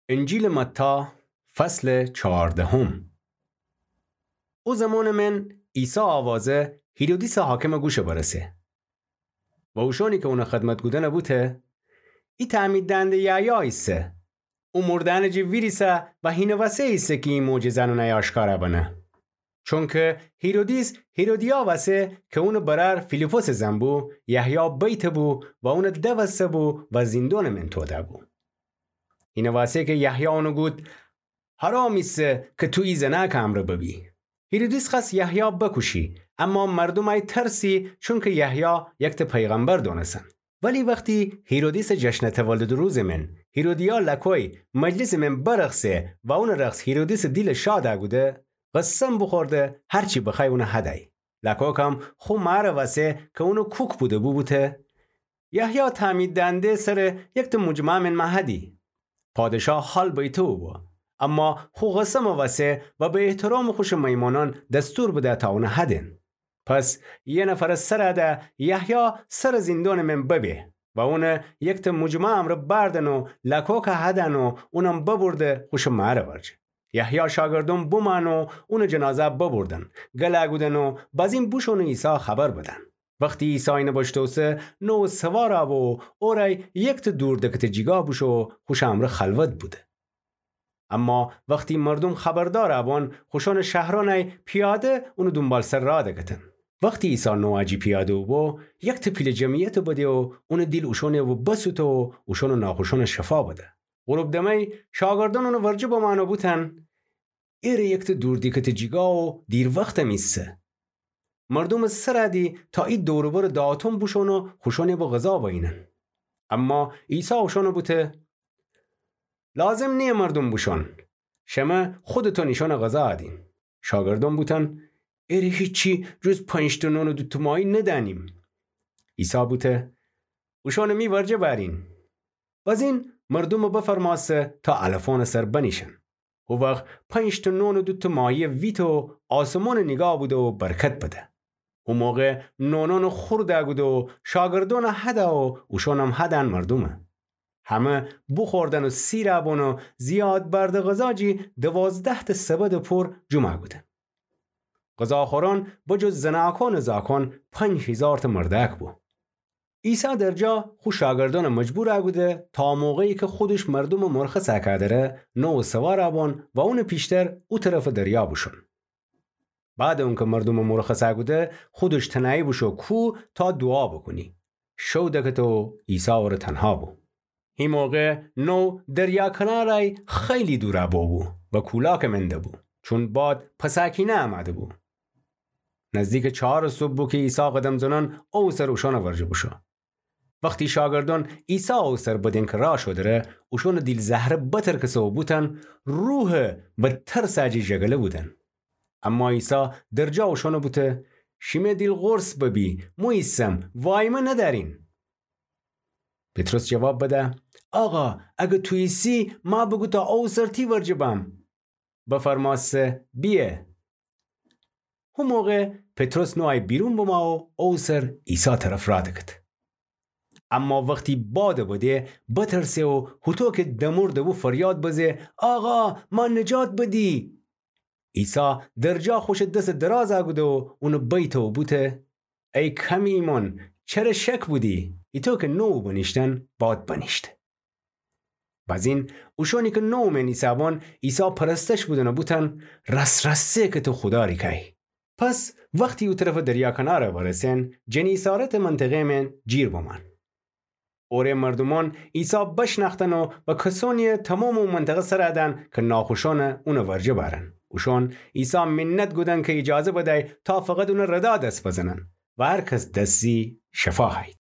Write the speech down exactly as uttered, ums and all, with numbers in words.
انجیلٚ متی، فصلٚ چهاردهم. او زمانٚ من عیسی آوازه هیرودیسٚ حاکمٚ گوشه برسه و اوشانی کی اونٚ خدمت کودن بوته: ای تعمید دهنده یحیی ایسه. او مرده‌یأنٚ جٚه ویریسه و هینٚ وسه ایسه کی ای معجزه‌یأن اونَی آشکار بنه. چونکی هیرودیس هیرودیا وسه کی اونٚ برأر فیلیپسٚ زن بو، یحیی بیته بو و اونَ دوسته بو و زیندونٚ من توده بو. هینٚ وسه کی یحیی اونَ گود: حرام ایسه کی تو ای زنأکٚ امرأ ببی. هیرودیس خوأست یحیی بکوشی، اما مردوم ای ترسی، چونکی یحیی یکتأ پیغمبر دونستن. ولی وختی هیرودیسٚ جشنٚ تولدٚ روزٚ من هیرودیا لکوی مجلسٚ من برخصه و اونٚ رخص هیرودیسٚ دیلَ شاد کوده، قسم بوخورده هر چی بخوأی اونَ هدی. لکوکم خو مأرٚ وسه کی اونٚ کوک بوده‌بو بوته: یحیی تعمید دهنده سرٚ یکتأ مجمعه من مه هدی. پادشاه حال بیته بو، اما خو قسمٚ وسه و به احترامٚ خوشٚ میمانأن دستور بده تا اونَ هدن. پس یه نفرٚ سر ده یحیی سرٚ زیندونٚ من ببه و اونَ یکتأ مجمعه امرأ بردن و لکوکَ هدن و اونم ببرده خوشٚ مأرٚ ورجه. یحیی شاگردون بومأن و اونٚ جنازه ببردن، گل کودن و بازین بوشون و عیسی خبر بدن. وختی عیسی اینَ بشتوسه، نووٚ سوار بو و اورأی یکتأ دور دکتٚ جیگا بوشو و خوشٚ امرأ خلوت بوده. اما وختی مردوم خبردار بون، خوشونٚ شهرأنی پیاده اونٚ دونبالسر راه دکتن. وختی عیسی نووٚ جی پیاده بو، یکتأ پیله جمعیت بده و اونٚ دیل اوشونٚ بسوته و اوشونٚ ناخوشونَ شفا بده. غروب دمه‌ی شاگردأن اونٚ ورجه بمأن و بوتن: ایره یکتأ دور دیکتٚ جیگا و دیر وختم ایسه. مردومٚ سر دی تا ای دور و برٚ داتون بوشون و خوشونٚ به غذا بینن. اما عیسی اوشونَ بوته: لازم نییه مردوم بوشون. شمه خودتون ایشونَ غذا بدین. شاگردأن بوتن: ایره هیچی جز پنج‌تأ نون و دوتأ ماهی ندأنیم. عیسی بوته: اوشونَ می ورجه بأرین. بازین مردومَ بفرمأسته تا علفأنٚ سر بنیشن. هو وخت پنج‌تأ نون و دوتأ ماهیَ ویته و آسمونَ نیگاه بوده و برکت بده. هو موقع نونأنَ خورد کوده و شاگردأنَ هده و اوشونم هدن مردومَ. همه بوخوردن و سیر بون و زیاد بردٚ غذا جی دوازده‌تأ سبدٚ پور جمع کودن. غذاخورأن بجز زنأکأنٚ زاکأن پنج هیزارتأ مردأک بو. عیسی درجا خو شاگردأنَ مجبور کوده تا موقعی کی خودش مردومَ مرخص کوده‌ره، نووٚ سوار بون و اونٚ پیشتر او طرفٚ دریا بوشون. بعدٚ اونکی مردومَ مرخص کوده، خودش تنهایی بوشو کوه تا دوعا بوکونی. شو دکته و عیسی اوره تنها بو. هی موقع نووٚ دریا کنارَی خیلی دور بوبو و کولاکٚ من دبو، چون باد پساکینه امده بو. نزدیکٚ چهارٚ صبح بو کی عیسی قدم زنأن او سر اوشأنٚ ورجه بوشو. وختی شاگردأن عیسی او سر بدن کی راه شودره، اوشونٚ دیل زهره بترکسه و بوتن روحه و ترسٚ جی ژگله بودن. اما عیسی درجا اوشأنَ بوته: شیمه دیل قرص ببی، مو ایسم، وایمه ندأرین. پطرس جواب بده: آقا، اگر تو ایسی، مه بوگو تا او سر تی ورجه بم. بفرمأسته: بیه. هو موقع پطرس نووٚ بیرون بمه و او سر عیسی طرف راه دکته. اما وختی بادَ بده، بترسه و هوطو کی دمرده بو فریاد بزه: آقا، مه نجات بدی! عیسی درجا خوشٚ دسَ دراز کوده و اونَ بیته و بوته: ای کمٚ ایمأن، چره شک بودی؟ ایطو کی نووٚ بنیشتن، باد بنیشته. بازین اوشأنی کی نووٚ من ایسه‌بان، عیسی پرستش بودن و بوتن: راس‌راسه کی تو خودا ریکه‌یی. پس وختی او طرفٚ دریا کنارَ برسن، جنیسارتٚ منطقه من جیر بمأن. اوره مردومأن عیسی بشنأختن و به کسأنی تومامٚ او منطقه سر دن کی ناخوشأنَ اونٚ ورجه بأرن. اوشأن عیسی منت کودن کی ایجازه بدی تا فقط اونٚ ردا دس بزنن و هر کس دس زی شفا هیی.